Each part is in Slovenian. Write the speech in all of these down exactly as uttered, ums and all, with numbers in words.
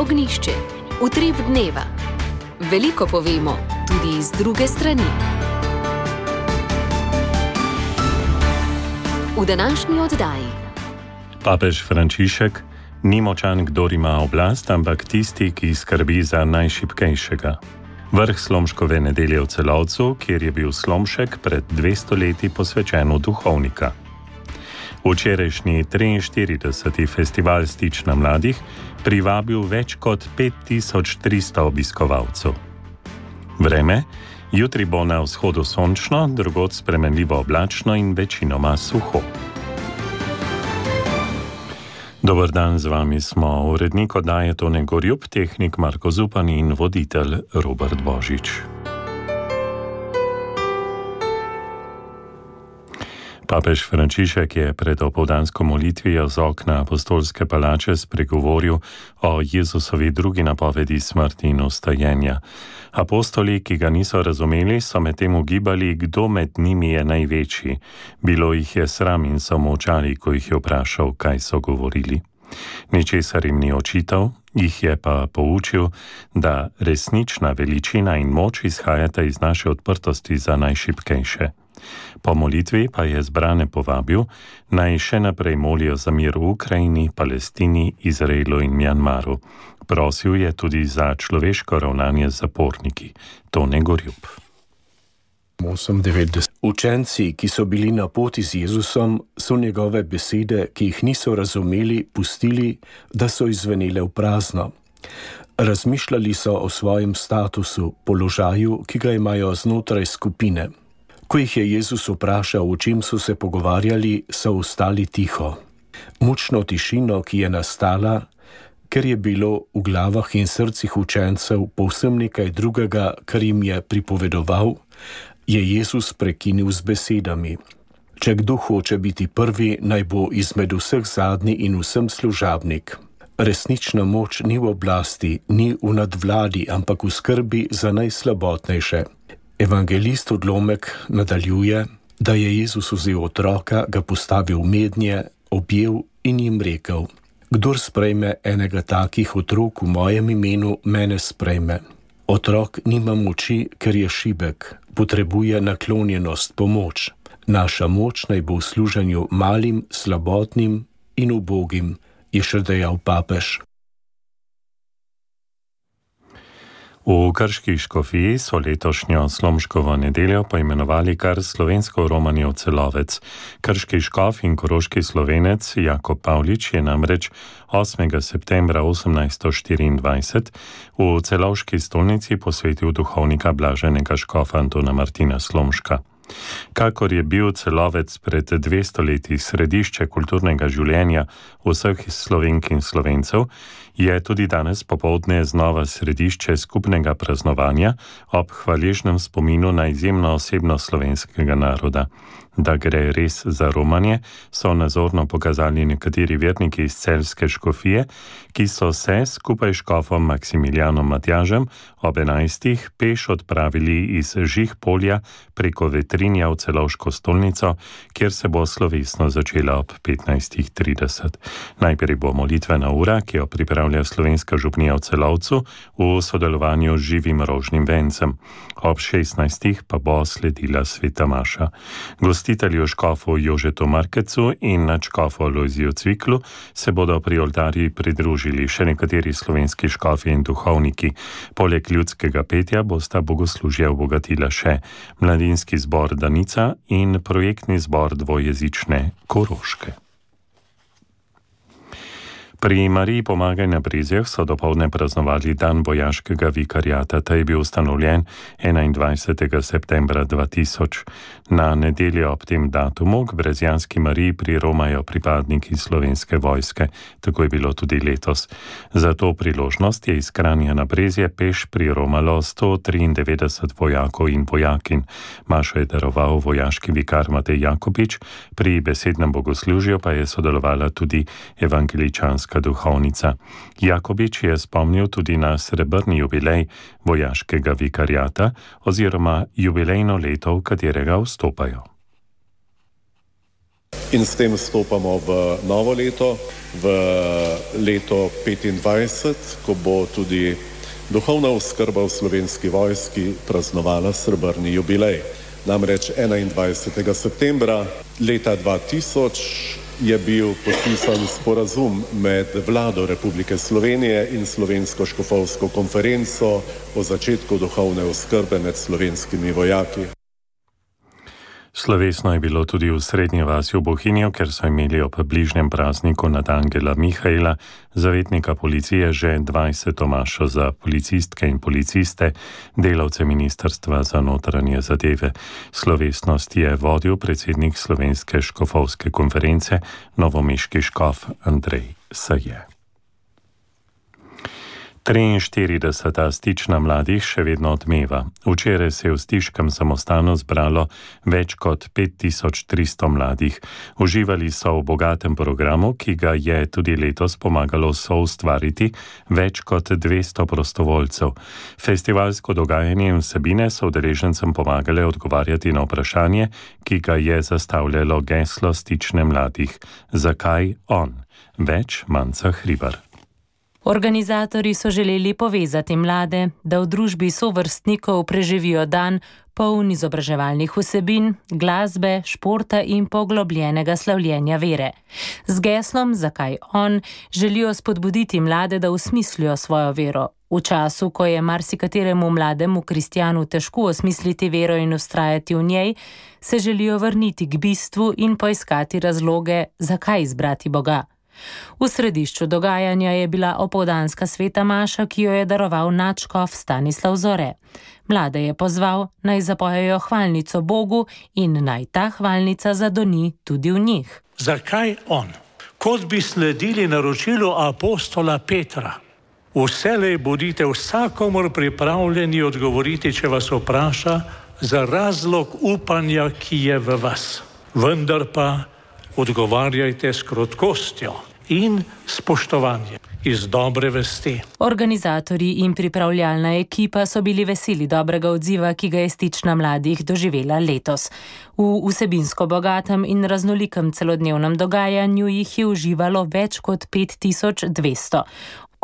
Ognjišče, utrip dneva. Veliko povemo tudi iz druge strani. V današnji oddaji. Papež Frančišek: ni močan, kdor ima oblast, ampak tisti, ki skrbi za najšibkejšega. Vrh Slomškove nedelje v Celovcu, kjer je bil Slomšek pred dvesto leti posvečen v duhovnika. Včerajšnji triinštirideseti festival Stična mladih privabil več kot pet tisoč tristo obiskovalcev. Vreme: jutri bo na vzhodu sončno, drugod spremenljivo oblačno in večinoma suho. Dober dan, z vami smo urednik oddaje Tone Gorjup, tehnik Marko Zupan in voditelj Robert Božič. Papež Frančišek je pred opoldansko molitvijo z okna apostolske palače spregovoril o Jezusovi drugi napovedi smrti in vstajenja. Apostoli, ki ga niso razumeli, so medtem ugibali, kdo med njimi je največji. Bilo jih je sram in so molčali, ko jih je vprašal, kaj so govorili. Ničesar jim ni očital, jih je pa poučil, da resnična veličina in moč izhajata iz naše odprtosti za najšibkejše. Po molitvi pa je zbrane povabil, naj še naprej molijo za mir v Ukrajini, Palestini, Izraelu in Mjanmaru. Prosil je tudi za človeško ravnanje z zaporniki. Tone Gorjup. Učenci, ki so bili na poti z Jezusom, so njegove besede, ki jih niso razumeli, pustili, da so izvenele v prazno. Razmišljali so o svojem statusu, položaju, ki ga imajo znotraj skupine. Ko jih je Jezus vprašal, o čem so se pogovarjali, so ostali tiho. Mučno tišino, ki je nastala, ker je bilo v glavah in srcih učencev povsem nekaj drugega, kar jim je pripovedoval, je Jezus prekinil z besedami: če kdo hoče biti prvi, naj bo izmed vseh zadnji in vsem služabnik. Resnična moč ni v oblasti, ni v nadvladi, ampak v skrbi za najslabotnejše. Evangelist Odlomek nadaljuje, da je Jezus vzel otroka, ga postavil mednje, objel in jim rekel: kdor sprejme enega takih otrok v mojem imenu, mene sprejme. Otrok nima moči, ker je šibek, potrebuje naklonjenost, pomoč. Naša moč naj bo v služenju malim, slabotnim in ubogim, je še dejal papež. V Krški škofiji so letošnjo Slomškovo nedeljo poimenovali kar slovensko Romanjev Celovec. Krški škof in koroški Slovenec Jakob Pavlič je namreč osmega septembra osemnajststo štiriindvajset v celovški stolnici posvetil duhovnika blaženega škofa Antona Martina Slomška. Kakor je bil Celovec pred dvesto leti središče kulturnega življenja vseh Slovenk in Slovencev, je tudi danes popoldne znova središče skupnega praznovanja ob hvaležnem spominu na izjemno osebnost slovenskega naroda. Da gre res za romanje, so nazorno pokazali nekateri verniki iz celjske škofije, ki so se skupaj s škofom Maksimilijanom Matjažem ob enajstih peš odpravili iz Žih polja preko Vetrinja v celovško stolnico, kjer se bo slovesno začela ob petnajstih trideset. Najprej bo molitvena ura, ki jo pripravlja slovenska župnija v Celovcu v sodelovanju z Živim rožnim vencem. Ob šestnajstih pa bo sledila sveta maša. Gostitelju škofu Jožetu Markecu in nadškofu Alojziju Cviklu se bodo pri oltarji pridružili še nekateri slovenski škofi in duhovniki. Poleg ljudskega petja bosta bogoslužje obogatila še mladinski zbor Danica in projektni zbor dvojezične Koroške. Pri Mariji Pomagaj na Brezjah so dopoldne praznovali dan vojaškega vikariata. Ta je bil ustanovljen enaindvajsetega septembra dva tisoč. Na nedeljo ob tem datumu k Brezjanski Mariji priromajo pripadniki Slovenske vojske. Tako je bilo tudi letos. Za to priložnost je iz Kranja na Brezje peš priromalo sto triindevetdeset vojakov in vojakinj. Mašo je daroval vojaški vikar Matej Jakobič, pri besednem bogoslužju pa je sodelovala tudi evangeličanska duhovnica. Jakobič je spomnil tudi na srebrni jubilej vojaškega vikariata oziroma jubilejno leto, v katerega vstopajo. in s tem vstopamo v novo leto, v leto petindvajset, ko bo tudi duhovna oskrba v Slovenski vojski praznovala srebrni jubilej. Namreč enaindvajsetega septembra leta dva tisoč je bil podpisan sporazum med Vlado Republike Slovenije in Slovensko škofovsko konferenco o začetku duhovne oskrbe med slovenskimi vojaki. Slovesno je bilo tudi v Srednji vasi v Bohinju, ker so imeli ob bližnjem prazniku nad Angela Mihaela, zavetnika policije, že dvajseto mašo za policistke in policiste, delavce Ministrstva za notranje zadeve. Slovesnost je vodil predsednik Slovenske škofovske konference, novomeški škof Andrej Saje. triinštirideseta stična mladih še vedno odmeva. Včeraj se je v stiškem samostanu zbralo več kot pet tisoč tristo mladih. Uživali so v bogatem programu, ki ga je tudi letos pomagalo soustvariti več kot dvesto prostovoljcev. Festivalsko dogajanje in vsebine so udeležencem pomagale odgovarjati na vprašanje, ki ga je zastavljalo geslo stične mladih. Zakaj on? Več Manca Hribar. Organizatorji so želeli povezati mlade, da v družbi sovrstnikov preživijo dan poln izobraževalnih vsebin, glasbe, športa in poglobljenega slavljenja vere. Z geslom Zakaj on želijo spodbuditi mlade, da osmislijo svojo vero. V času, ko je marsikateremu mlademu kristjanu težko osmisliti vero in ustrajati v njej, se želijo vrniti k bistvu in poiskati razloge, zakaj izbrati Boga. V središču dogajanja je bila opoldanska sveta maša, ki jo je daroval nadškof Stanislav Zore. Mlade je pozval, naj zapojejo hvalnico Bogu in naj ta hvalnica zadoni tudi v njih. Zakaj on? Kot bi sledili naročilu apostola Petra. Vselej bodite vsakomur pripravljeni odgovoriti, če vas vpraša, za razlog upanja, ki je v vas. Vendar pa odgovarjajte s krotkostjo in spoštovanjem iz dobre vesti. Organizatorji in pripravljalna ekipa so bili veseli dobrega odziva, ki ga je stična mladih doživela letos. V vsebinsko bogatem in raznolikem celodnevnem dogajanju jih je uživalo več kot pet tisoč dvesto.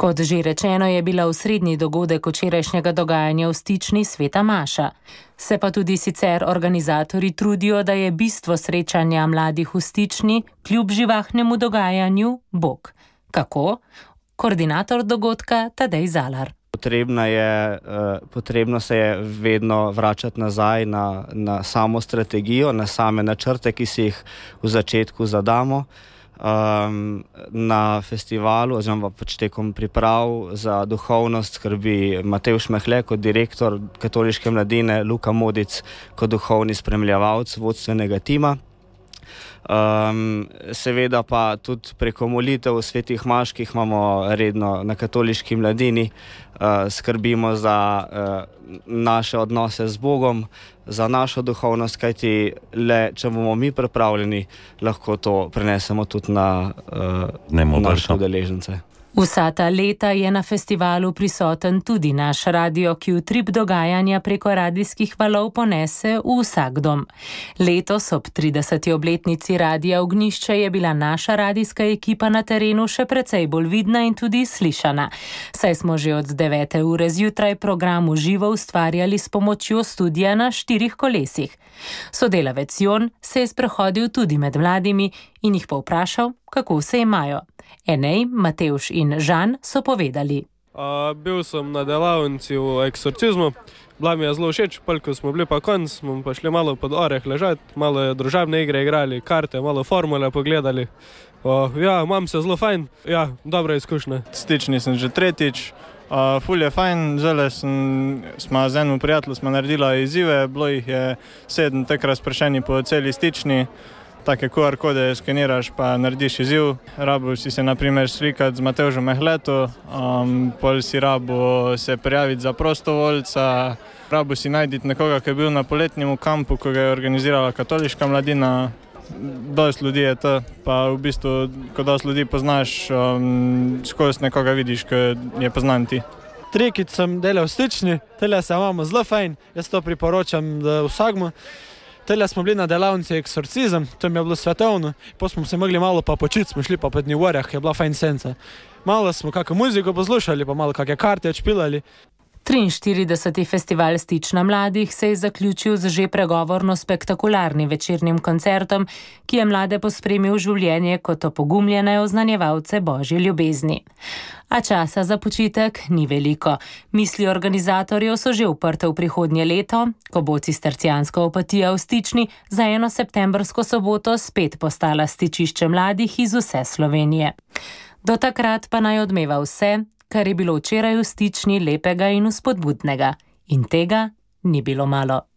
Kot že rečeno, je bila osrednji dogodek včerajšnjega dogajanja v stični sveta maša. Se pa tudi sicer organizatorji trudijo, da je bistvo srečanja mladih v stični, kljub živahnemu dogajanju, Bog. Kako? Koordinator dogodka Tadej Zalar. Potrebno je, potrebno se je vedno vračati nazaj na, na samo strategijo, na same načrte, ki si jih v začetku zadamo. Um, na festivalu oziroma pač tekom priprav za duhovnost skrbi Matevž Mehle kot direktor katoliške mladine, Luka Modic kot duhovni spremljevalc vodstvenega tima. Um, seveda pa tudi preko molitev svetih maš, ki jih imamo redno na katoliški mladini, uh, skrbimo za uh, naše odnose z Bogom, za našo duhovnost, kajti le, če bomo mi pripravljeni, lahko to prenesemo tudi na uh, naše udeležence. Vsa ta leta je na festivalu prisoten tudi naš radio, ki utrip dogajanja preko radijskih valov ponese v vsak dom. Letos ob trideseti obletnici Radia Ognjišče je bila naša radijska ekipa na terenu še precej bolj vidna in tudi slišana. Saj smo že od devete ure zjutraj program v živo ustvarjali s pomočjo studija na štirih kolesih. Sodelavec Jon se je sprehodil tudi med mladimi in jih povprašal, kako se imajo. Enej, Matevž in Žan so povedali. Uh, bil sem na delavnici v eksorcizmu, bila mi je zelo všeč, ko smo bili pa konc, smo pa šli malo pod oreh ležati, malo je družabne igre igrali, karte, malo formule pogledali. Uh, ja, imam se zelo fajn, ja, dobra izkušnja. Stični sem že tretjič, uh, ful je fajn, žele sem, smo z enim prijateljem smo naredila izzive, bilo jih je sedem tek razpršeni po celi stični. Take Q R kode skeniraš pa narediš izziv. Rabo si se na primer slikati z Matevžem Mehleto, um, pol si rabo se prijaviti za prostovoljca, rabo si najditi nekoga, ki je bil na poletnjem kampu, ko ga je organizirala katoliška mladina. Dost ljudi je to, pa v bistvu, ko dost ljudi poznaš, um, skozi nekoga vidiš, ko je poznan ti. Trikic sem delal v stični, tele se imamo zelo fajn, jaz to priporočam vsakmu. Tele smo bili na delavnici eksorcizem, tam je bilo svetovno, potem smo se mogli malo pa počiti, smo šli pa po dnivorjah, je bila fajn senca. Malo smo kakšno muziko poslušali, pa malo kakšne karte odšpilali. triinštirideseti festival Stična mladih se je zaključil z že pregovorno spektakularnim večernim koncertom, ki je mlade pospremil v življenje kot opogumljene oznanjevalce božje ljubezni. A časa za počitek ni veliko. Misli organizatorjev so že uprte v prihodnje leto, ko bo cistercijanska opatija v Stični za eno septembrsko soboto spet postala stičišče mladih iz vse Slovenije. Do takrat pa naj odmeva vse, kar je bilo včeraj v Stični lepega in vzpodbudnega. In tega ni bilo malo.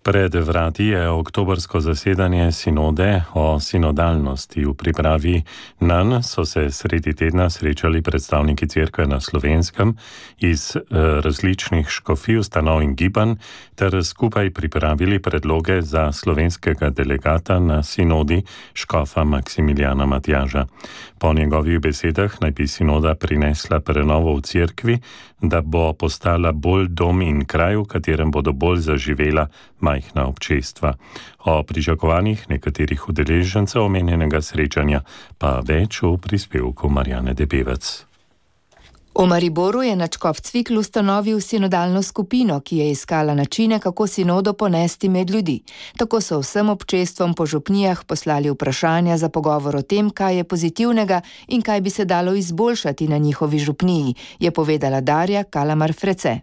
Pred vrati je oktobrsko zasedanje sinode o sinodalnosti. V pripravi nanj so se sredi tedna srečali predstavniki cerkve na Slovenskem iz eh, različnih škofij, ustanov in gibanj ter skupaj pripravili predloge za slovenskega delegata na sinodi škofa Maksimiljana Matjaža. Po njegovih besedah naj bi sinoda prinesla prenovo v cerkvi, da bo postala bolj dom in kraj, v katerem bodo bolj zaživela majhna občestva. O pričakovanjih nekaterih udeležencev omenjenega srečanja pa več v prispevku Marjane Debevec. V Mariboru je nadškof Cvikl ustanovil sinodalno skupino, ki je iskala načine, kako sinodo ponesti med ljudi. Tako so vsem občestvom po župnijah poslali vprašanja za pogovor o tem, kaj je pozitivnega in kaj bi se dalo izboljšati na njihovi župniji, je povedala Darja Kalamar-Frece.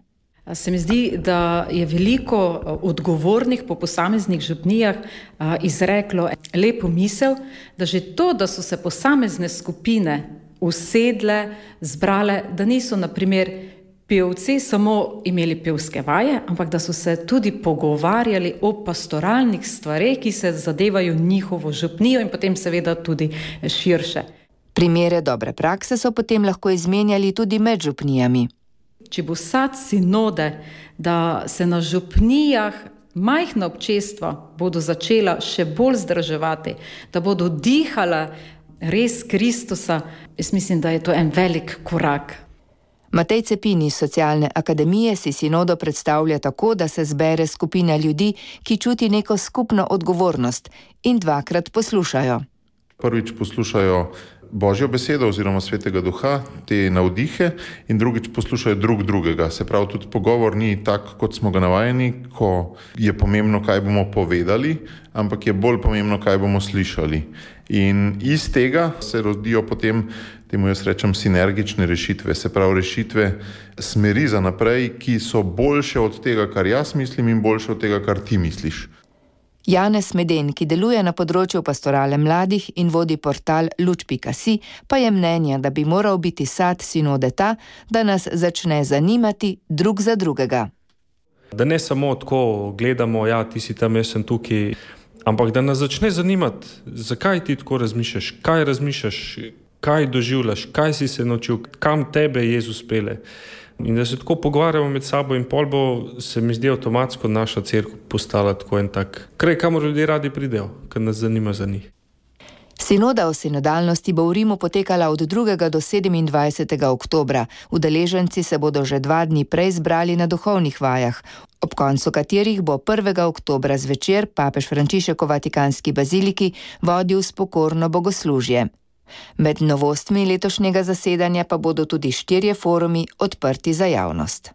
Se mi zdi, da je veliko odgovornih po posameznih župnijah izreklo lepo misel, da že to, da so se posamezne skupine usedle, zbrale, da niso na primer pevci samo imeli pevske vaje, ampak da so se tudi pogovarjali o pastoralnih stvareh, ki se zadevajo njihovo župnijo in potem seveda tudi širše. Primere dobre prakse so potem lahko izmenjali tudi med župnijami. Če bo sad sinode, da se na župnijah majhna občestva bodo začela še bolj združevati, da bodo dihala res Kristusa, jaz mislim, da je to en velik korak. Matej Cepin iz Socialne akademije si sinodo predstavlja tako, da se zbere skupina ljudi, ki čuti neko skupno odgovornost in dvakrat poslušajo. Prvič poslušajo Božjo besedo oziroma Svetega Duha, te navdihe, in drugič poslušajo drug drugega. Se pravi, tudi pogovor ni tak, kot smo ga navajeni, ko je pomembno, kaj bomo povedali, ampak je bolj pomembno, kaj bomo slišali. In iz tega se rodijo potem, temu jaz rečem, sinergične rešitve, se pravi rešitve smeri za naprej, ki so boljše od tega, kar jaz mislim, in boljše od tega, kar ti misliš. Janez Meden, ki deluje na področju pastorale mladih in vodi portal luč pika si, pa je mnenja, da bi moral biti sad sinode ta, da nas začne zanimati drug za drugega. Da ne samo tako gledamo, ja, ti si tam, jaz sem tukaj, ampak da nas začne zanimati, zakaj ti tako razmišljaš, kaj razmišljaš, kaj doživljaš, kaj si se naučil, kam tebe Jezus pele. In da se tako pogovarjamo med sabo in pol bo, se mi zdi avtomatsko naša cerkev postala tako en tak kraj, kamor ljudje radi pridejo, ker nas zanima za njih. Sinoda o sinodalnosti bo v Rimu potekala od drugega do sedemindvajsetega oktobra. Udeleženci se bodo že dva dni prej zbrali na duhovnih vajah, ob koncu katerih bo prvega oktobra zvečer papež Frančišek v Vatikanski baziliki vodil spokorno bogoslužje. Med novostmi letošnjega zasedanja pa bodo tudi štirje forumi odprti za javnost.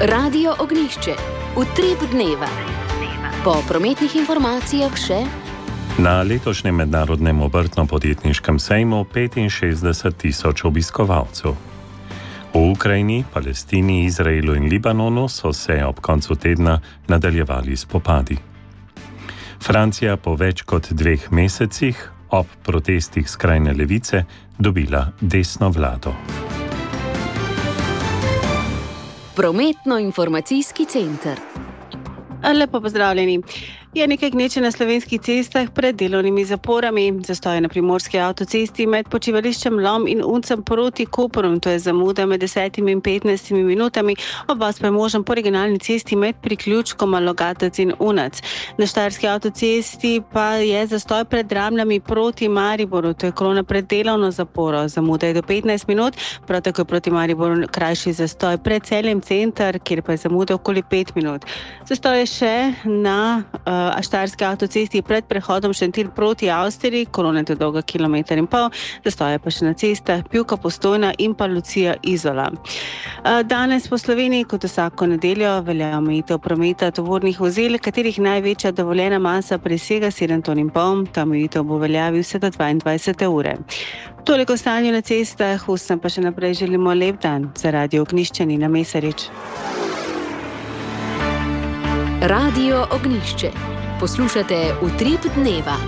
Radio Ognjišče. Utrip dneva. Po prometnih informacijah še na letošnjem mednarodnem obrtno-podjetniškem sejmu petinšestdeset tisoč obiskovalcev. V Ukrajini, Palestini, Izraelu in Libanonu so se ob koncu tedna nadaljevali spopadi. Francija po več kot dveh mesecih ob protestih skrajne levice dobila desno vlado. Prometno-informacijski center. Lepo pozdravljeni. Je nekaj gneče na slovenskih cestah pred delovnimi zaporami. Zastoj na primorski avtocesti med počivališčem Lom in Uncem proti Koperom, to je zamuda med desetimi in petnajstimi minutami, obvoz pa je možen po regionalni cesti med priključkoma Logatec in Unac. Na štajerski avtocesti pa je zastoj pred Dramljami proti Mariboru, to je kolona pred delovno zaporo, zamuda je do petnajst minut, prav tako je proti Mariboru krajši zastoj pred Celjem center, kjer pa je zamuda okoli pet minut. Zastoj je še na uh, štajerski avtocesti pred prehodom Šentilj proti Avstriji, kolona je dolga kilometer in pol, zastoj je pa še na cestah Pivka Postojna in pa Lucija Izola. Uh, danes po Sloveniji kot vsako nedeljo velja omejitev prometa tovornih vozil, katerih največja dovoljena masa presega sedem ton in pol, ta omejitev bo veljavi vse do dvaindvajsete ure. Toliko o stanju na cestah, vsem pa še naprej želimo lep dan. Za Radio Ognjišče Nina Mesarič. Radio Ognjišče. Poslušate Utrip dneva.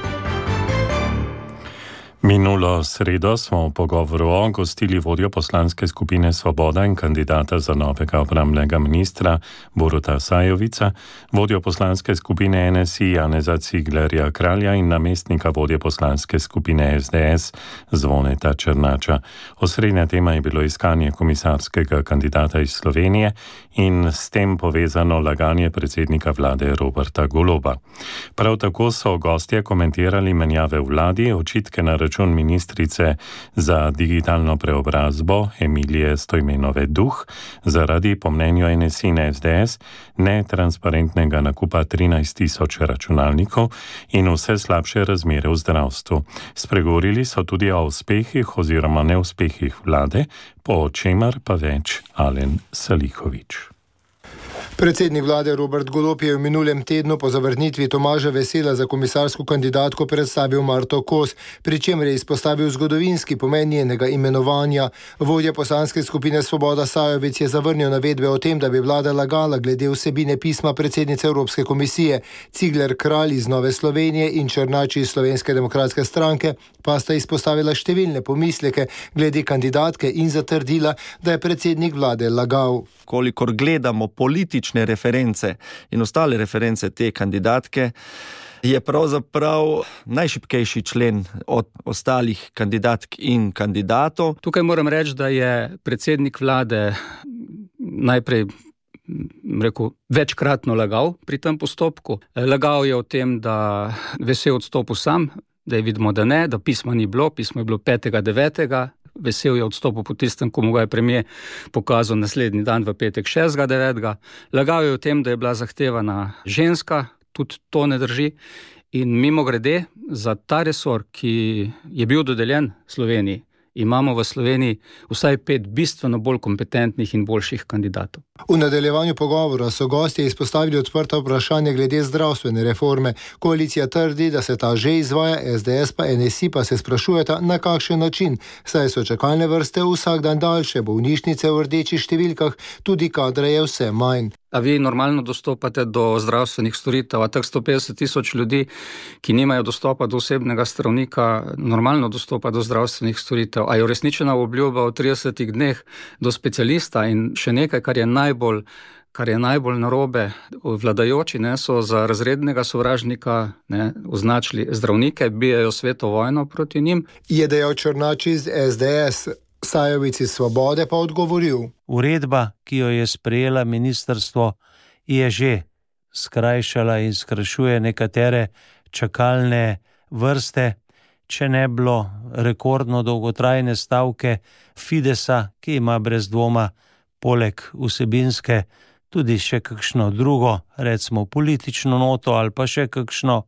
Minulo sredo smo v pogovoru o gostili vodjo poslanske skupine Svoboda in kandidata za novega obrambnega ministra Boruta Sajovica, vodjo poslanske skupine N S I Janeza Ciglerja Kralja in namestnika vodje poslanske skupine S D S Zvoneta Černača. Osrednja tema je bilo iskanje komisarskega kandidata iz Slovenije in s tem povezano laganje predsednika vlade Roberta Goloba. Prav tako so gostje komentirali menjave v vladi, očitke na račun ministrice za digitalno preobrazbo Emilije Stojmenove Duh zaradi, po mnenju N S I in S D S, netransparentnega nakupa trinajst tisoč računalnikov in vse slabše razmere v zdravstvu. Spregovorili so tudi o uspehih oziroma neuspehih vlade, po čemer pa več Alen Salihovič. Predsednik vlade Robert Golob je v minulem tednu po zavrnitvi Tomaža Vesela za komisarsko kandidatko predstavil Marto Kos, pri čemer je izpostavil zgodovinski pomen njenega imenovanja. Vodja poslanske skupine Svoboda Sajovic je zavrnil navedbe o tem, da bi vlada lagala glede vsebine pisma predsednice Evropske komisije. Cigler Kralj iz Nove Slovenije in Černač iz Slovenske demokratske stranke pa sta izpostavila številne pomisleke glede kandidatke in zatrdila, da je predsednik vlade lagal. Kolikor gledamo politične reference in ostale reference te kandidatke, je pravzaprav najšibkejši člen od ostalih kandidatk in kandidatov. Tukaj moram reči, da je predsednik vlade najprej rekel, večkratno lagal pri tem postopku. Lagal je o tem, da Vesel odstopil sam, da je vidimo, da ne, da pisma ni bilo, pismo je bilo petega devetega Vesel je odstopil po tistem, ko mu ga je premier pokazal naslednji dan v petek šestega devetega Lagal je o tem, da je bila zahtevana ženska, tudi to ne drži. In mimo grede, za ta resor, ki je bil dodeljen Sloveniji, imamo v Sloveniji vsaj pet bistveno bolj kompetentnih in boljših kandidatov. V nadaljevanju pogovora so gostje izpostavili odprta vprašanja glede zdravstvene reforme. Koalicija trdi, da se ta že izvaja, S D S pa N S I pa se sprašujeta, na kakšen način, saj so čakalne vrste vsak dan daljše, bolnišnice v rdečih številkah, tudi kadra je vse manj. A vi normalno dostopate do zdravstvenih storitev, a teh sto petdeset tisoč ljudi, ki nimajo dostopa do osebnega zdravnika, normalno dostopa do zdravstvenih storitev. A je uresničena obljuba v tridesetih dneh do specialista? In še nekaj, kar je najbolj, kar je najbolj narobe, vladajoči ne, so za razrednega sovražnika ne, označili zdravnike, bijajo sveto vojno proti njim. Je dejal Černač iz S D S. Sajovic iz Svobode pa odgovoril. Uredba, ki jo je sprejela ministrstvo, je že skrajšala in skrajšuje nekatere čakalne vrste, če ne bilo rekordno dolgotrajne stavke Fidesa, ki ima brez dvoma poleg vsebinske tudi še kakšno drugo, recimo politično noto ali pa še kakšno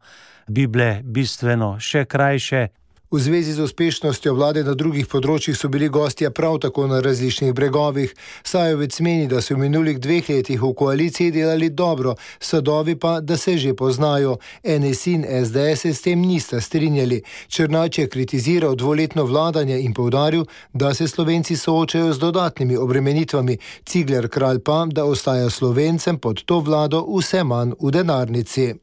Bible bistveno še krajše. V zvezi z uspešnostjo vlade na drugih področjih so bili gostje prav tako na različnih bregovih. Sajovic meni, da so v minulih dveh letih v koaliciji delali dobro, sadovi pa, da se že poznajo. N S I in S D S se s tem nista strinjali. Černač je kritiziral dvoletno vladanje in poudaril, da se Slovenci soočajo z dodatnimi obremenitvami. Cigler Kralj pa, da ostaja Slovencem pod to vlado vse manj v denarnici.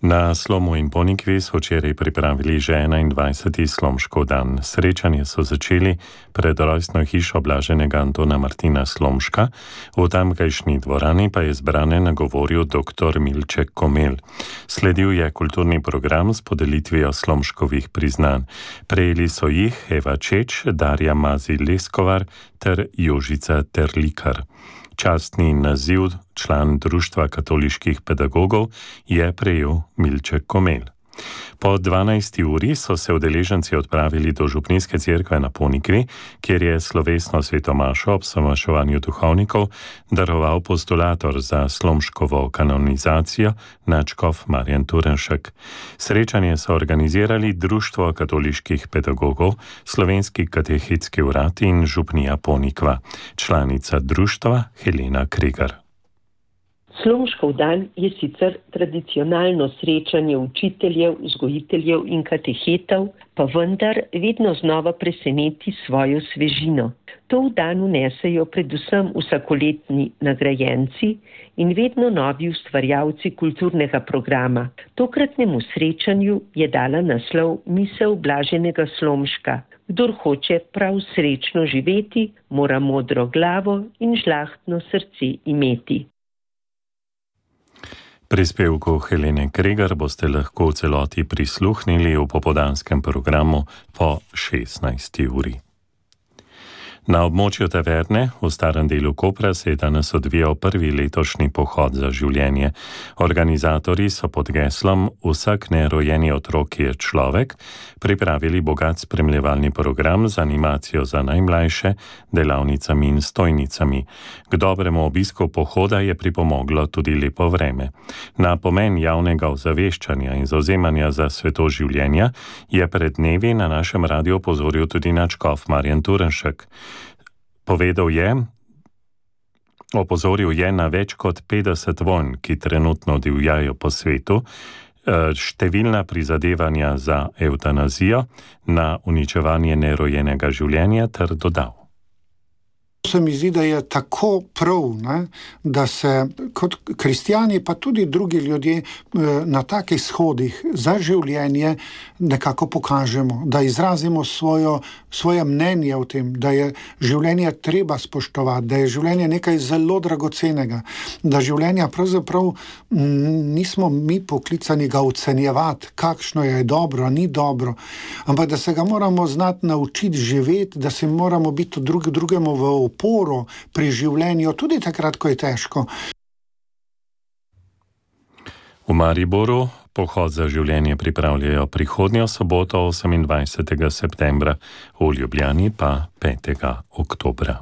Na Slomu in Ponikvi so včeraj pripravili že enaindvajseti Slomškov dan. Srečanje so začeli pred rojstno hišo blaženega Antona Martina Slomška. V tamkajšnji dvorani pa je zbrane nagovoril dr. Milček Komelj. Sledil je kulturni program s podelitvijo Slomškovih priznanj. Prejeli so jih Eva Čeč, Darja Mazi-Leskovar ter Jožica Terlikar. Častni naziv član Društva katoliških pedagogov je prejel Milček Komelj. Po dvanajsti uri so se udeleženci odpravili do Župnijske cerkve na Ponikvi, kjer je slovesno svetomašo ob samaševanju duhovnikov daroval postulator za Slomškovo kanonizacijo nadškof Marjan Turnšek. Srečanje so organizirali Društvo katoliških pedagogov, Slovenski katehetski urad in Župnija Ponikva. Članica društva Helena Kregar. Slomškov dan je sicer tradicionalno srečanje učiteljev, vzgojiteljev in katehetov, pa vendar vedno znova preseneti svojo svežino. To v dan vnesejo predvsem vsakoletni nagrajenci in vedno novi ustvarjalci kulturnega programa. Tokratnemu srečanju je dala naslov Misel blaženega Slomška. Kdor hoče prav srečno živeti, mora modro glavo in žlahtno srce imeti. Prispevku Helene Kregar boste lahko v celoti prisluhnili v popoldanskem programu po šestnajsti uri. Na območju Taverne v starem delu Kopra se je danes odvijal prvi letošnji pohod za življenje. Organizatorji so pod geslom Vsak nerojeni otrok je človek pripravili bogat spremljevalni program z animacijo za najmlajše, delavnicami in stojnicami. K dobremu obisku pohoda je pripomoglo tudi lepo vreme. Na pomen javnega ozaveščanja in zavzemanja za sveto življenja je pred dnevi na našem radiu opozoril tudi nadškof Marjan Turnšek. Povedal je, opozoril je na več kot petdeset vojn, ki trenutno divjajo po svetu, številna prizadevanja za evtanazijo, na uničevanje nerojenega življenja ter dodal. Se mi zdi, da je tako prav, ne, da se kot kristjani, pa tudi drugi ljudje na takih shodih za življenje nekako pokažemo, da izrazimo svojo, svoje mnenje o tem, da je življenje treba spoštovati, da je življenje nekaj zelo dragocenega, da življenja pravzaprav nismo mi poklicani ga ocenjevati, kakšno je dobro, ni dobro, ampak da se ga moramo znati naučiti živeti, da se moramo biti drug drugemu v oporo pri življenju, tudi takrat, ko je težko. V Mariboru pohod za življenje pripravljajo prihodnjo soboto osemindvajsetega septembra, v Ljubljani pa petega oktobra.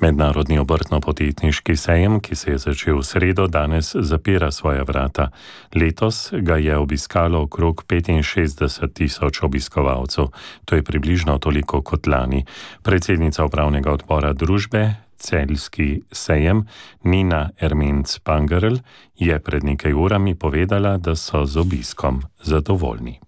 Mednarodni obrtno-podjetniški sejem, ki se je začel v sredo, danes zapira svoja vrata. Letos ga je obiskalo okrog petinšestdeset tisoč obiskovalcev. To je približno toliko kot lani. Predsednica upravnega odbora družbe Celjski sejem Nina Ermenc-Pangerl je pred nekaj urami povedala, da so z obiskom zadovoljni.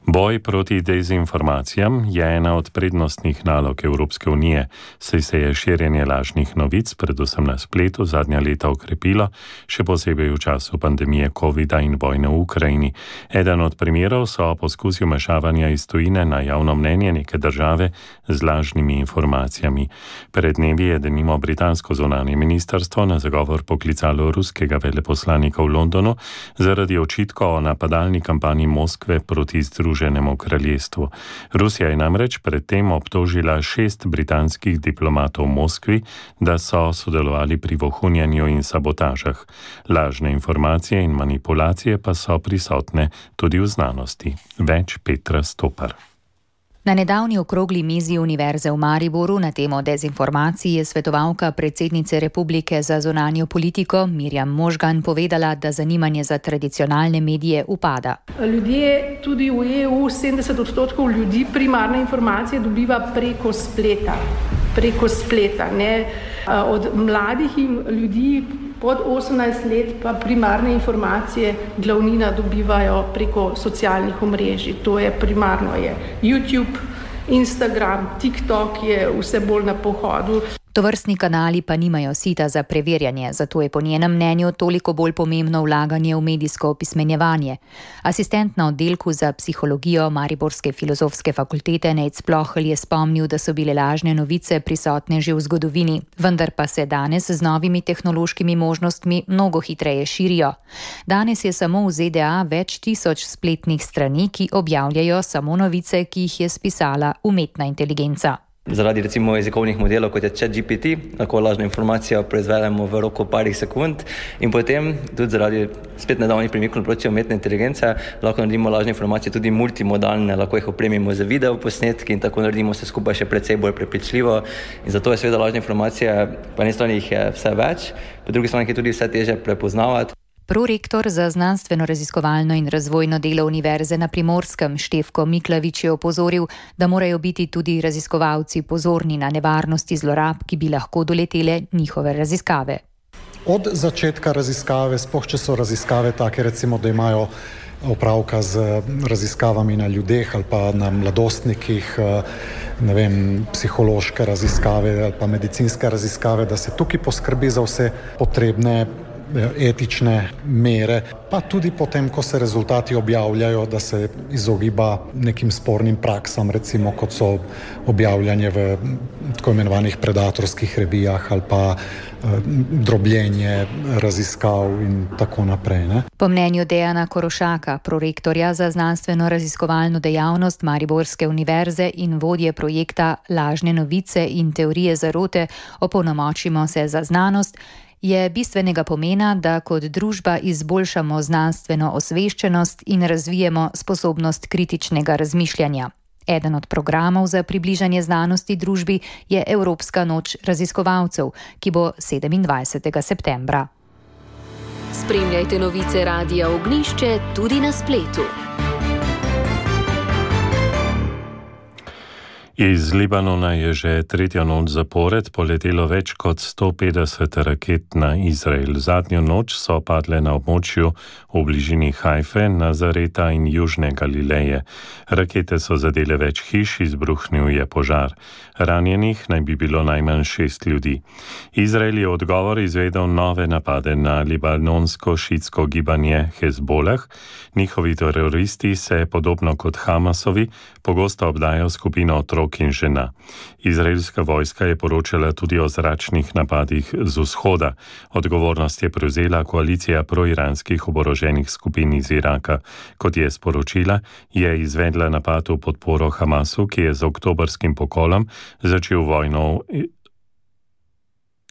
Boj proti dezinformacijam je ena od prednostnih nalog Evropske unije, saj se je širjenje lažnih novic, predvsem na spletu, zadnja leta okrepilo, še posebej v času pandemije covida in vojne v Ukrajini. Eden od primerov so poskusi vmešavanja iz tujine na javno mnenje neke države z lažnimi informacijami. Pred dnevi je denimo britansko zunanje ministrstvo na zagovor poklicalo ruskega veleposlanika v Londonu zaradi očitkov o napadalni kampanji Moskve proti Združenemu kraljestvu. Rusija je namreč predtem obtožila šest britanskih diplomatov v Moskvi, da so sodelovali pri vohunjanju in sabotažah. Lažne informacije in manipulacije pa so prisotne tudi v znanosti. Več Petra Stopar. Na nedavni okrogli mizi Univerze v Mariboru na temo dezinformacij je svetovalka predsednice Republike za zunanjo politiko Mirjam Možgan povedala, da zanimanje za tradicionalne medije upada. Ljudje, tudi v E U, sedemdeset odstotkov ljudi primarne informacije dobiva preko spleta. Preko spleta, ne? Od mladih ljudi pod osemnajst let pa primarne informacije glavnina dobivajo preko socialnih omrežij. To je primarno je YouTube, Instagram, TikTok je vse bolj na pohodu. Tovrstni kanali pa nimajo sita za preverjanje, zato je po njenem mnenju toliko bolj pomembno vlaganje v medijsko opismenjevanje. Asistent na oddelku za psihologijo Mariborske filozofske fakultete Nejc Plohelj je spomnil, da so bile lažne novice prisotne že v zgodovini, vendar pa se danes z novimi tehnološkimi možnostmi mnogo hitreje širijo. Danes je samo v Z D A več tisoč spletnih strani, ki objavljajo samo novice, ki jih je spisala umetna inteligenca. Zaradi recimo jezikovnih modelov, kot je ChatGPT, lahko lažno informacijo proizvedemo v roku parih sekund in potem tudi zaradi spet nedavnih premikov na področju umetne inteligence lahko naredimo lažne informacije tudi multimodalne, lahko jih opremimo z video posnetki in tako naredimo vse skupaj še precej bolj prepričljivo. In zato je seveda lažne informacije, po eni strani jih je vse več, po drugi strani je tudi vse težje prepoznavati. Prorektor za znanstveno-raziskovalno in razvojno delo Univerze na Primorskem Štefko Miklavič je opozoril, da morajo biti tudi raziskovalci pozorni na nevarnosti zlorab, ki bi lahko doletele njihove raziskave. Od začetka raziskave, sploh če so raziskave take, recimo, da imajo opravka z raziskavami na ljudeh ali pa na mladostnikih, ne vem, psihološke raziskave ali pa medicinske raziskave, da se tukaj poskrbi za vse potrebne etične mere, pa tudi potem, ko se rezultati objavljajo, da se izogiba nekim spornim praksam, recimo kot so objavljanje v tako imenovanih predatorskih revijah ali pa drobljenje raziskav in tako naprej. Ne? Po mnenju Dejana Korošaka, prorektorja za znanstveno-raziskovalno dejavnost Mariborske univerze in vodje projekta Lažne novice in teorije zarote Opolnomočimo se za znanost, je bistvenega pomena, da kot družba izboljšamo znanstveno osveščenost in razvijemo sposobnost kritičnega razmišljanja. Eden od programov za približanje znanosti družbi je Evropska noč raziskovalcev, ki bo sedemindvajsetega septembra. Spremljajte novice Radia Ognjišče tudi na spletu. Iz Libanona je že tretjo noč zapored poletelo več kot sto petdeset raket na Izrael. Zadnjo noč so padle na območju v bližini Hajfe, Nazareta in Južne Galileje. Rakete so zadele več hiš, izbruhnil je požar. Ranjenih naj bi bilo najmanj šest ljudi. Izrael je odgovor izvedel nove napade na libanonsko šiitsko gibanje Hezbolah. Njihovi teroristi se, podobno kot Hamasovi, pogosto obdajo skupino otrok in žena. Izraelska vojska je poročala tudi o zračnih napadih z vzhoda. Odgovornost je prevzela koalicija proiranskih oboroženih skupin iz Iraka. Kot je sporočila, je izvedla napad v podporo Hamasu, ki je z oktobrskim pokolom začel vojno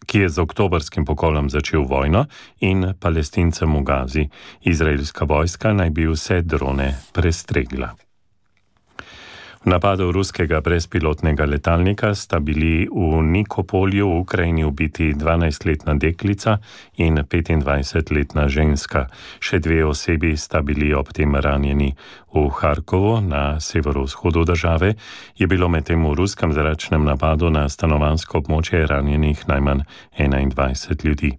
ki je z oktobrskim pokolom začel vojno in Palestincem v Gazi. Izraelska vojska naj bi vse drone prestregla. V napadu ruskega brezpilotnega letalnika sta bili v Nikopolju v Ukrajini ubiti dvanajstletna deklica in petindvajsetletna ženska. Še dve osebi sta bili ob tem ranjeni. V Harkovu, na severovzhodu države, je bilo medtem v ruskem zračnem napadu na stanovanjsko območje ranjenih najmanj enaindvajset ljudi.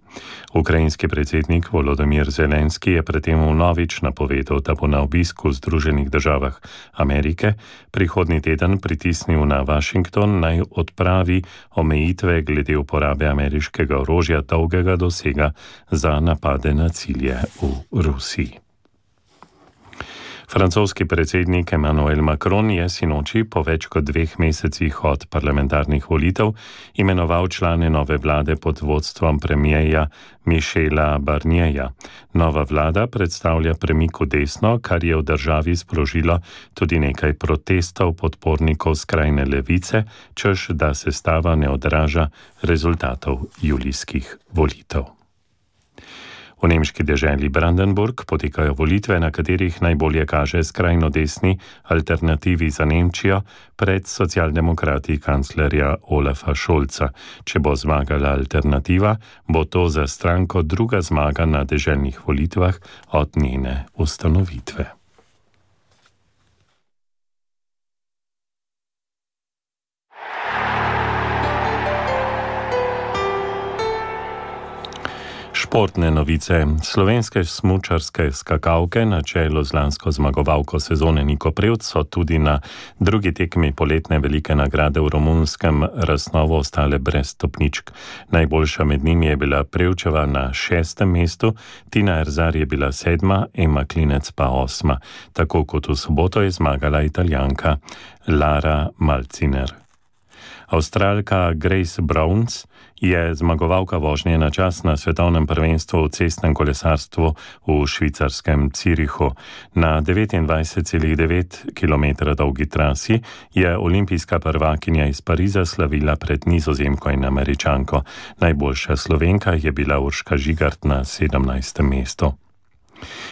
Ukrajinski predsednik Volodymyr Zelenski je predtem vnovič napovedal, da bo na obisku v Združenih državah Amerike prihodnji teden pritisnil na Washington, naj odpravi omejitve glede uporabe ameriškega orožja dolgega dosega za napade na cilje v Rusiji. Francoski predsednik Emmanuel Macron je sinoči po več kot dveh mesecih od parlamentarnih volitev imenoval člane nove vlade pod vodstvom premierja Michela Barnierja. Nova vlada predstavlja premik v desno, kar je v državi sprožilo tudi nekaj protestov podpornikov skrajne levice, češ da sestava ne odraža rezultatov julijskih volitev. V nemški deželi Brandenburg potekajo volitve, na katerih najbolje kaže skrajno desni alternativi za Nemčijo pred socialdemokrati kanclerja Olafa Scholza. Če bo zmagala alternativa, bo to za stranko druga zmaga na deželnih volitvah od njene ustanovitve. Športne novice. Slovenske smučarske skakalke na čelu z lansko zmagovalko sezone Niko Prevc so tudi na drugi tekmi poletne velike nagrade v romunskem Rasnovu ostale brez stopničk. Najboljša med njimi je bila Prevčeva na šestem mestu, Tina Erzar je bila sedma, Ema Klinec pa osma. Tako kot v soboto je zmagala Italijanka Lara Malciner. Avstralka Grace Browns je zmagovalka vožnje na čas na svetovnem prvenstvu v cestnem kolesarstvu v švicarskem Zürichu. Na devetindvajset celih devet kilometra dolgi trasi je olimpijska prvakinja iz Pariza slavila pred Nizozemko in Američanko. Najboljša Slovenka je bila Urška Žigart na sedemnajstem mestu.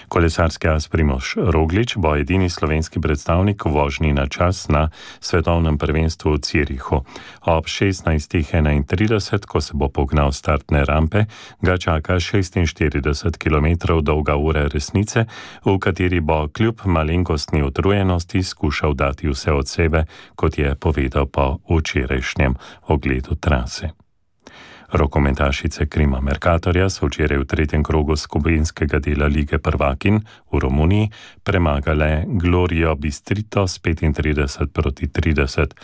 Kolesarski as Primož Roglič bo edini slovenski predstavnik v vožnji na čas na svetovnem prvenstvu v Zürichu. Ob šestnajst enaintrideset, ko se bo pognal startne rampe, ga čaka šestinštirideset kilometrov dolga ura resnice, v kateri bo kljub malenkostni utrujenosti skušal dati vse od sebe, kot je povedal po včerajšnjem ogledu trase. Rokometašice Krima Mercatorja so včeraj v tretjem krogu skupinskega dela Lige prvakin v Romuniji premagale Glorijo Bistrito s petintrideset proti trideset.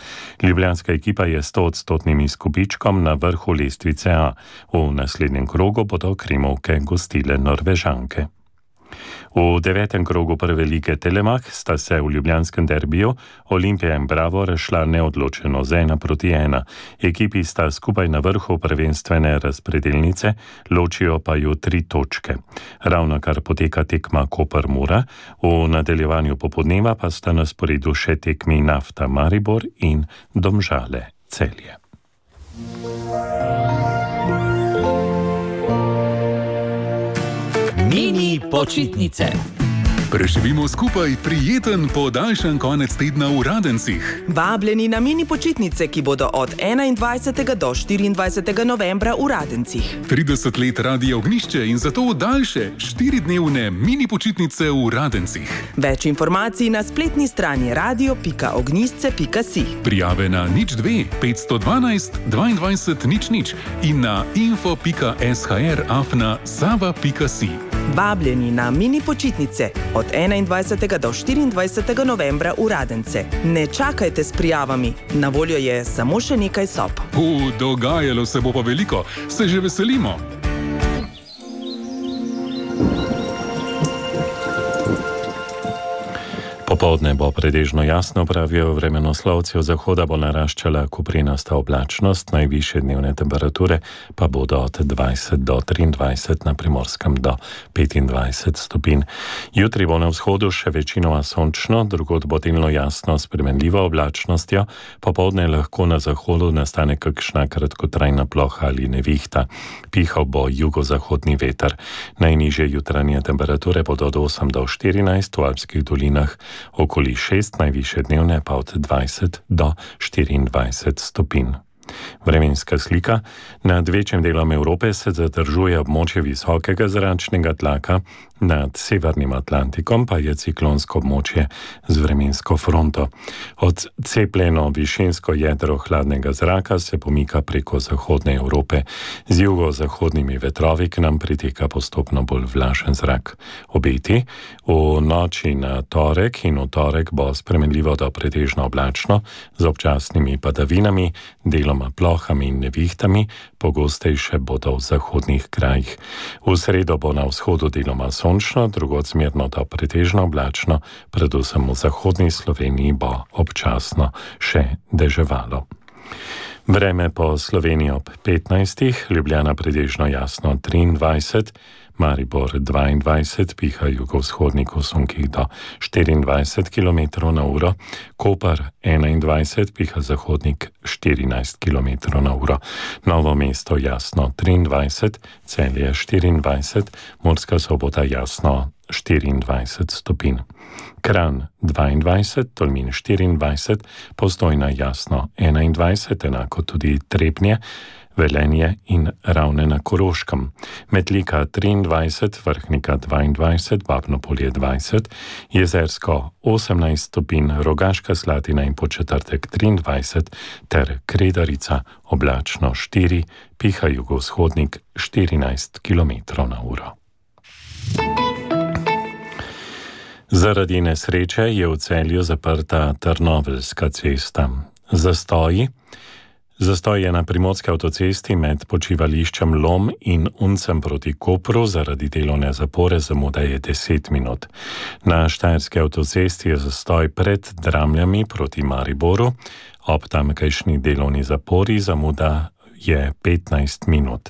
Ljubljanska ekipa je stoodstotnim izkupičkom na vrhu lestvice A. V naslednjem krogu bodo Krimovke gostile Norvežanke. V devetem krogu prve lige Telemak sta se v ljubljanskem derbiju Olimpija in Bravo razšla neodločeno z ena proti ena. Ekipi sta skupaj na vrhu prvenstvene razpredelnice, ločijo pa ju tri točke. Ravnokar poteka tekma Koper-Mura, v nadaljevanju popodneva pa sta na sporedu še tekmi Nafta Maribor in Domžale Celje. Mini počitnice. Preživimo skupaj prijeten podaljšan konec tedna v Radencih. Vabljeni na mini počitnice, ki bodo od enaindvajsetega do štiriindvajsetega novembra v Radencih. trideset let Radia Ognjišče in zato daljše štiridnevne mini počitnice v Radencih. Več informacij na spletni strani radio pika ognjišče pika si. Prijave na nič dve petsto dvanajst dvaindvajset nič nič in na info pika sh afna sava pika si. Vabljeni na mini počitnice od enaindvajsetega do štiriindvajsetega novembra v Radence. Ne čakajte s prijavami, na voljo je samo še nekaj sob. U, dogajalo se bo pa veliko, se že veselimo. Popoldne bo pretežno jasno, pravijo vremenoslovci, od zahoda bo naraščala koprenasta oblačnost, najvišje dnevne temperature pa bodo od dvajset do triindvajset, na Primorskem do petindvajset stopinj. Jutri bo na vzhodu še večinoma sončno, drugod bo delno jasno s spremenljivo oblačnostjo, popoldne lahko na zahodu nastane kakšna kratkotrajna ploha ali nevihta. Pihal bo jugozahodni veter. Najnižje jutranje temperature bodo od osem do štirinajst, v alpskih dolinah okoli šest, najvišje dnevne pa od dvajset do štiriindvajset stopinj. Vremenska slika. Nad večjim delom Evrope se zadržuje območje visokega zračnega tlaka, nad severnim Atlantikom pa je ciklonsko območje z vremensko fronto. Odcepljeno višinsko jedro hladnega zraka se pomika preko zahodne Evrope. Z jugozahodnimi vetrovi k nam priteka postopno bolj vlažen zrak. Obeti. V noči na torek in v torek bo spremenljivo do pretežno oblačno z občasnimi padavinami, deloma plohami in nevihtami, pogostejše bodo v zahodnih krajih. V sredo bo na vzhodu deloma sončno, drugod zmerno do pretežno oblačno, predvsem v zahodni Sloveniji bo občasno še deževalo. Vreme po Sloveniji ob petnajstih, Ljubljana pretežno jasno triindvajset, Maribor dvaindvajset, piha jugovzhodnik v sunkih do štiriindvajset kilometrov na uro, Koper enaindvajset, piha zahodnik štirinajst kilometrov na uro, Novo mesto jasno triindvajset, Celje štiriindvajset, Murska Sobota jasno štiriindvajset stopinj. Kranj dvaindvajset, Tolmin štiriindvajset, Postojna jasno enaindvajset, enako tudi Trebnje, Velenje in Ravne na Koroškem. Metlika triindvajset, Vrhnika dvaindvajset, Babnopolje dvajset, Jezersko osemnajst stopinj, Rogaška Slatina in Podčetrtek triindvajset ter Kredarica oblačno štiri, piha jugovzhodnik štirinajst kilometrov na uro. Zaradi nesreče je v Celju zaprta Trnoveljska cesta. Zastoji. Zastoj je na primorski avtocesti med počivališčem Lom in Uncem proti Kopru, zaradi delovne zapore zamuda je deset minut. Na štajerski avtocesti je zastoj pred Dramljami proti Mariboru, ob tamkajšnji delovni zapori zamuda je petnajst minut.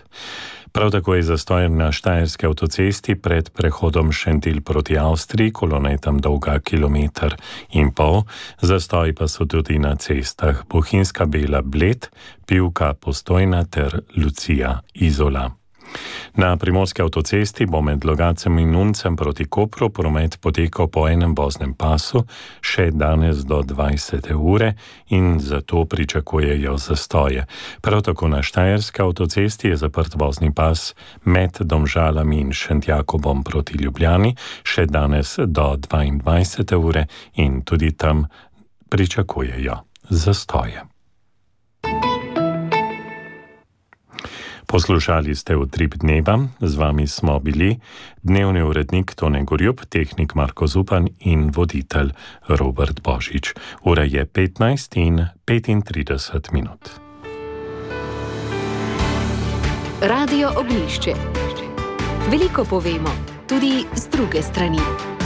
Prav tako je zastoj na štajerski avtocesti pred prehodom Šentilj proti Avstriji, kolona je tam dolga kilometer in pol, zastoj pa so tudi na cestah Bohinjska Bela Bled, Pivka Postojna ter Lucija Izola. Na primorski avtocesti bo med Logacem in Uncem proti Kopru promet potekal po enem voznem pasu še danes do dvajsete ure in zato pričakujejo zastoje. Prav tako na štajerski avtocesti je zaprt vozni pas med Domžalami in Šentjakobom proti Ljubljani še danes do dvaindvajsete ure in tudi tam pričakujejo zastoje. Poslušali ste Utrip dneva, z vami smo bili dnevni urednik Tone Gorjup, tehnik Marko Zupan in voditelj Robert Božič. Ura je petnajst in petintrideset minut. Radio Ognjišče. Veliko povemo, tudi z druge strani.